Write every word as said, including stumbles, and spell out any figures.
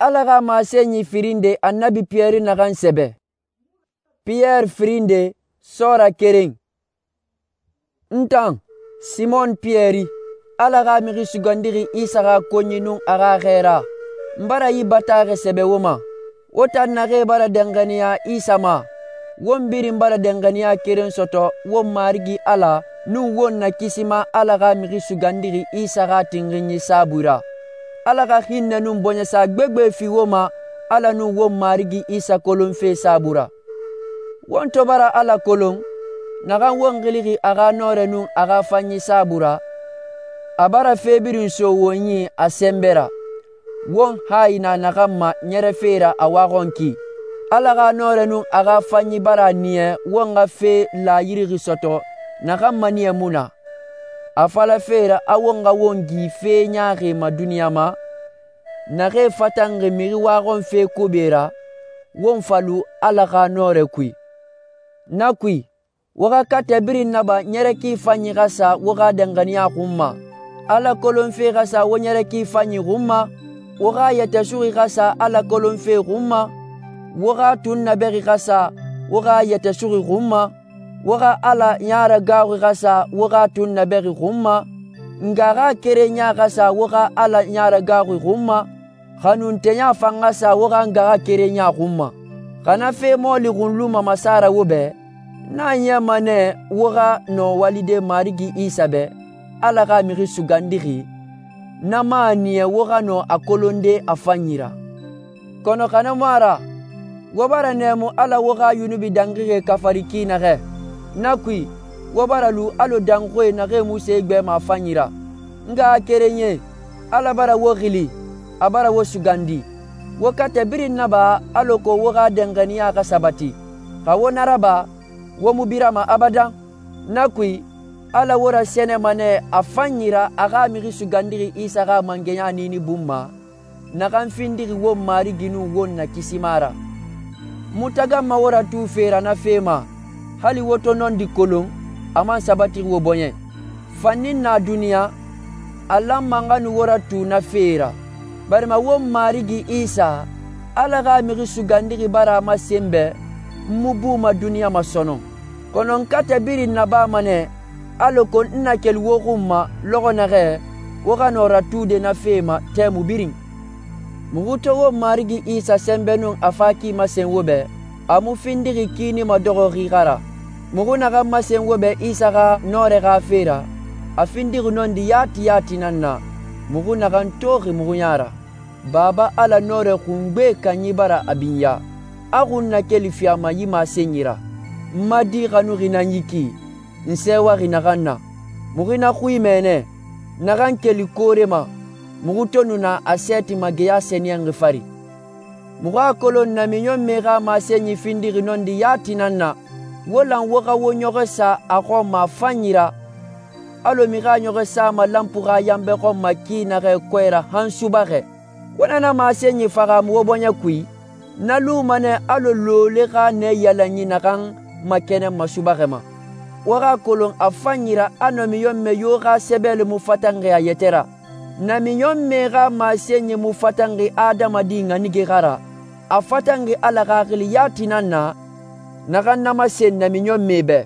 Ala xa masenyi firin nde Annabi Piyɛri naxan sɛbɛ. Piyɛri firin nde sɔɔra keren. N tan, Simɔn Piyɛri, Ala xa Mixi Sugandixi Isa xa konyi nun a xa xɛɛra, n bara yi bataaxɛ sɛbɛ wo ma. Wo tan naxee bara danxaniya Isa ma, won birin bara danxaniya keren sɔtɔ won Marigi Ala nun won Nakisima Ala xa Mixi Sugandixi Isa xa tinxinyi saabui ra. Ala xa hinnɛ nun bɔɲɛsa gbegbe fi wo ma Ala nun won Marigi Isa kolonfe saabui ra. Won to bara Ala kolon, naxan won xilixi a xa nɔrɛ nun a xa fanyi saabui ra, a bara fe birin so won yi a sɛnbɛ ra. Won hayi na naxan ma ɲɛrɛfe ra a waxɔn ki. Ala xa nɔrɛ nun a xa fanyi bara a niya won xa fe laayirixi sɔtɔ naxan maniyɛ mu na, a falafe ra a won xa won gi fe ɲaaxie ma duniɲa ma, naxee fatanxi mixi waxɔnfe kobe ra, won fa lu Ala xa nɔrɛ kui. Na kui, wo xa katɛ birin naba ɲɛrɛ ki fanyi xa sa wo xa danxaniya xun ma. Ala kolonfe xa sa wo ɲɛrɛ ki fanyi xun ma, wo xa yɛtɛ suxi xa sa Ala kolonfe xun ma, wo xa tunnabɛxi xa sa wo xa yɛtɛ suxi xun ma, wo xa Ala ɲaragaaxui xa sa wo xa tunnabɛxi xun ma, nga xa kerenya xa sa wo xa Ala ɲaragaaxui xun ma, xanuntenya fan xa sa wo xa nga xa kerenya xun ma. Xa na fe mɔɔli xunluma masara wo bɛ, na a ɲɛma nɛ wo xa nɔ walide Marigi Isa bɛ, Ala xa Mixi Sugandixi, na mu a niya wo xa nɔ a kolonde a fanyi ra. Kɔnɔ xa na mu a ra, wo bara nɛɛmu Ala wo xa yunubi danxixie kafari ki naxɛ. Na kui, wo bara lu alɔ danxoe naxee mu se gbɛma a fanyi ra. N ngaxakerenyie, Ala bara wo xili, a bara wo sugandi. Wo katɛ birin naba alako wo xa danxaniya xa sabati. Xa wo na raba, wo mu birama abadan. Na kui, Ala wo rasɛnɛma nɛ a fanyi ra a xa Mixi Sugandixi Isa xa mangɛya niini bun ma, naxan findixi won Marigi nun won Nakisima ra. Mu taganma wo ratufe ra na fe ma, hali wo to nɔndi kolon, a man sabatixi wo bɔɲɛ. Fannin na duniya, a lanma n xa nu wo ratu na fe ra, barima won Marigi Isa, Ala xa Mixi Sugandixi bara a masen bɛ, n mu buma duniya ma sɔnɔn. Kɔnɔ n katɛ birin nabama nɛ, alako n na keli wo xun ma lɔxɔ naxɛ, wo xa nɔ ratude na fe ma tɛmu birin. Muxu to wo Marigi Isa sɛnbɛ nun a fa ki masen wo bɛ, a mu findixi kiini madɔxɔxi xa ra. Muxu naxan masen wo bɛ Isa xa nɔrɛ xa fe ra, a findixi nɔndi yati yati nan na, muxu naxan toxi muxu ya ra. Baba Ala nɔrɛ xungbe kanyi bara a binya, a xun nakeli fi a ma yi masenyi ra. N ma di xanuxi nan yi ki, n sɛɛwaxi naxan na. Muxu na xui mɛnɛ, naxan keli koore ma, muxu to nu na a sɛɛti mageya sɛniyɛnxi fari. Muxu a kolon namiɲɔnmɛ xa masenyi findixi nɔndi yati nan na, wo lan wo xa wo ɲɔxɔ sa a xɔn ma a fanyi ra, alɔ mixi a ɲɔxɔ sama lanpu xa yanbɛ xɔn ma ki naxɛ kɔɛ ra han subaxɛ. Wo na na masenyi faxamu wo bɔɲɛ kui, na luma nɛ alɔ loole xa nɛ yalanyi naxan makɛnɛnma subaxɛ ma. Wo xa kolon a fanyi ra a namiɲɔnmɛ yo xa sɛbɛli mu fatanxi a yɛtɛ ra. Namiɲɔnmɛ xa masenyi mu fatanxi adamadi ŋanige xa ra, a fatanxi Ala Xaxili yati nan na, naxan na masen namiɲɔnmɛ bɛ.